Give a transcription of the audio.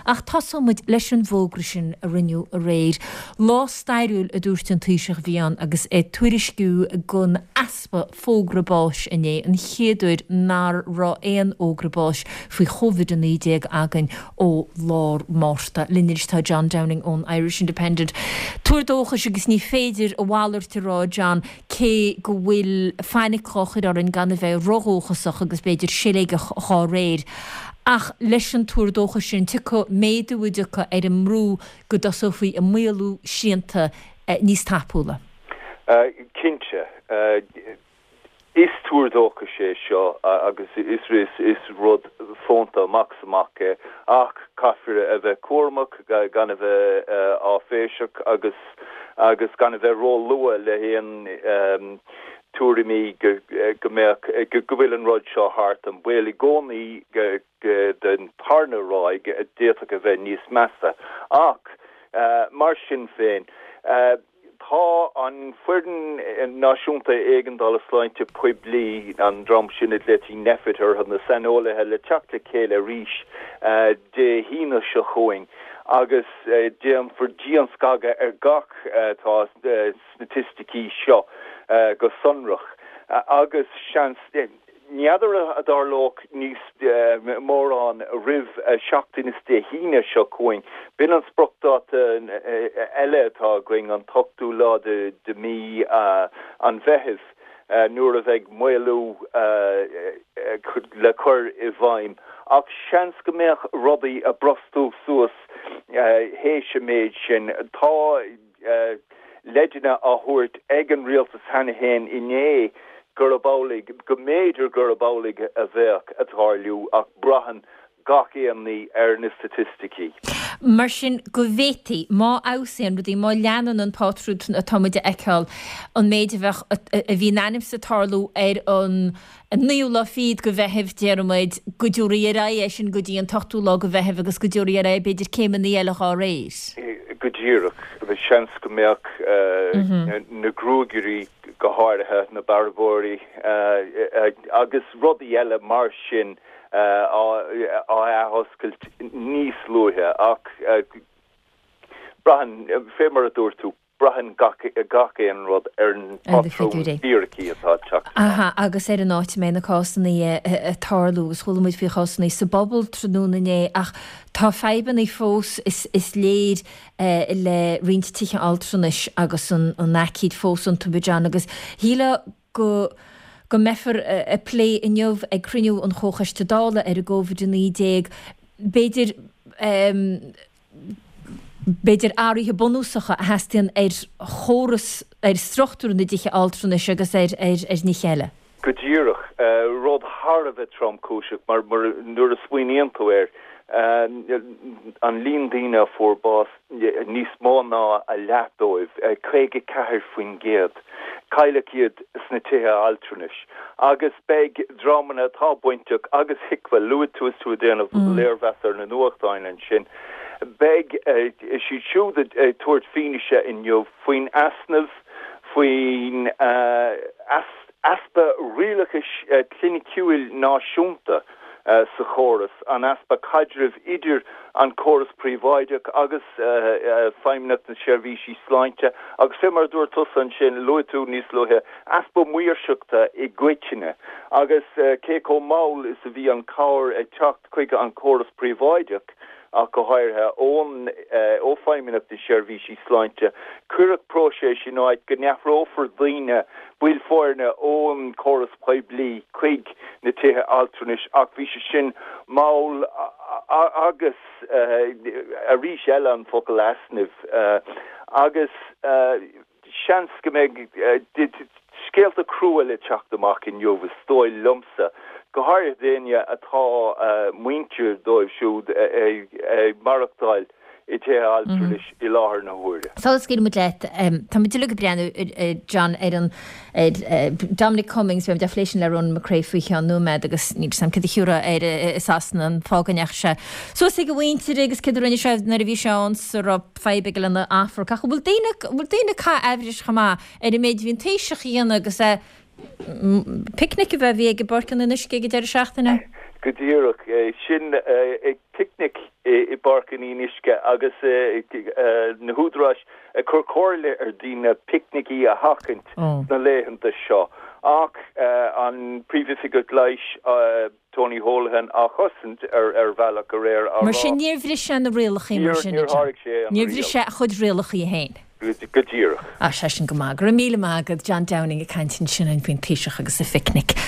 Ach tosóidh muid leis an bhfógra sin a rinneadh aréir. Lá stairiúil a dúirt an Taoiseach a bhí ann agus é ag tuairisciú den easpa fógra báis inné, an chéad uair nár raibh aon fhógra báis faoi Covid-19 againn ó lár Márta. Linn anois tá John Downing ón Irish Independent. Tuar dóchais agus ní féidir a mhalairt a rá, John, cé go bhfuil fainic dhá chur orainn gan a bheith rodhóchasach agus b'fhéidir siléigeach dhá réir. Ach leis an tuar dóchais sin tiocfaidh méadú a dtiocfaidh ar an mbrú go dtosófaí ag maolú srianta níos tapúla. Cinnte. Is tuar dóchais é seo agus is rud fónta amach is amach é ach caithfear a bheith cúramach, gan a bheith áiféiseach agus agus gan a bheith róluath le haon tuairimí go mbeadh, go bhfuil an rud seo thart. An baol i gcónaí den tarna ráig a d'fhéadfadh a bheith níos measa. Ach mar sin féin, Tá an Foireann Náisiúnta Éigeandála Sláinte Poiblí, an dream sin a nglaoití Nphet orthu, na saineolaithe, le teacht le chéile arís Dé hAoine seo chugainn agus déanfar dianscagadh ar gach atá sna staitisticí seo go sonrach agus seans N'fheadar a dtarlódh níos mórán roimh seachtain is Dé hAoine seo chugainn. B'in an spriocdháta eile atá againn, an t-ochtú lá de mí an Mheithimh, nuair a bheidh maolú le cur i bhfeidhm. Ach seans go mbeadh rudaí ag brostú suas théis an méid sin. Tá. leideanna á thabhairt ag an rialtas cheana féin inné gurb amhlaidh, go mb'fhéidir gurb amhlaidh a bheadh ag tarlú ach braitheann gach aon ní ar na staitisticí. Mar sin, go bhféadfaí, má fheabhsaíonn rudaí, má leanann an pátrún atá muid a fheiceáil, an méid a bheadh, a bhí in ainm is ag tarlú ar an An naoú lá fichead de Mheitheamh, déarfaidh muid, go dtabharfaí ar aghaidh é sin go dtí an t-ochtú lá de Mheitheamh agus go dtabharfaí ar aghaidh b'fhéidir céimeanna eile dhá réir. Go díreach. Seans go mbeadh na gruagairí, go háirithe, na bearbóirí agus rudaí eile mar sin á athoscailt níos luaithe ach braitheann, fé mar a dúirt tú, Braitheann gach aon rud ar an bpátrún fíricí atá ag teacht amach. Aha, agus ar an áit a mbeidh na cásanna ag tarlú, agus chuala muid faoi chásanna sa bpobal tráthnóna inné, ach tá fadhbanna fós, is léir, le roinnt tithe altranais agus an aicíd fós iontu, a John, agus shílfeá go go mbeifear ag plé inniu ag cruinniú an Chomhchoiste Dála ar an gCovid-19, b'fhéidir, b'fhéidir, athruithe bunúsacha a theastaíonn ar chóras, ar struchtúr na dtithe altranais agus ar nithe eile. Go díreach. Rud thar a bheith tromchúiseach mar nuair a smaoiníonn tú air, an líon daoine a fuair bás, níos mó ná a leath dóibh, 54%, cailleadh iad sna tithe altranais. Agus beidh dreamanna atá bainteach agus HIQA, luaigh tú is tú ag déanamh léirmheas ar na nuachtáin ansin, beidh siad siúd ag tabhairt fianaise inniu faoin easnamh, faoin easpa rialachais chliniciúil náisiúnta sa chóras, an easpa caidrimh idir an córas príobháideach agus Feidhmeannacht na Seirbhísí Sláinte agus fé mar a dúirt tusa ansin, luaigh tú níos luaithe, easpa maoirseachta i gcoitinne agus cé chomh mall is a bhí an chabhair ag teacht chuig an córas príobháideach ach go háirithe ón ó Feidhmeannacht na Seirbhísí Sláinte. Cuireadh próiseas in áit go n-athrófar daoine, baill foirne ón córas poiblí chuig na tithe altranais ach bhí sé sin mall agus arís eile an focal easnaimh agus Seans go mbeidh scéalta crua le teacht amach inniu, is dóigh liomsa, go háirithe d'éinne atá muintir dóibh siúd ag maireachtáil i dtithe altranais i láthair na huaire. Sula scaoilfidh muid leat, tá muid uilig ag breathnú, John, ar an ar Dominic Cummings, beidh muid á phlé sin le Ronan McCrea faoi cheann nóiméad agus níl 'fhios a'm céard a thiúrfá air i Sasana, an fáth go ndeachaigh sé suas ag a mhuintir agus céard a rinne sé nuair a bhí sé ann sa raibh fadhb aige lena athmharc. Ach an bhfuil daoine, an bhfuil daoine ag caitheamh aimhris chomh maith ar an méid a bhí an Taoiseach a dhéanamh agus é picnic a bheith, a bhí ag i bPáirc an Fhionnuisce ag an deireadh seachtaine? Go díreach. Sin ag picnic i bPáirc an Fhionnuisce agus na húdaráis ag cur comhairle ar dhaoine picnicí a sheachaint sna laethanta seo. Ach an Príomhoifigeach Leighis, Tony Holohan á chosaint ar bhealach aréir á rá. Mar sin níor bhris sé na rialacha mar sin. Níor sháraigh sé an riail. Níor bhris sé a chuid rialacha féin. Go díreach. Tá sé sin go maith. Go raibh míle maith agat, John Downing ag caint ansin faoin Taoiseach agus a phicnic.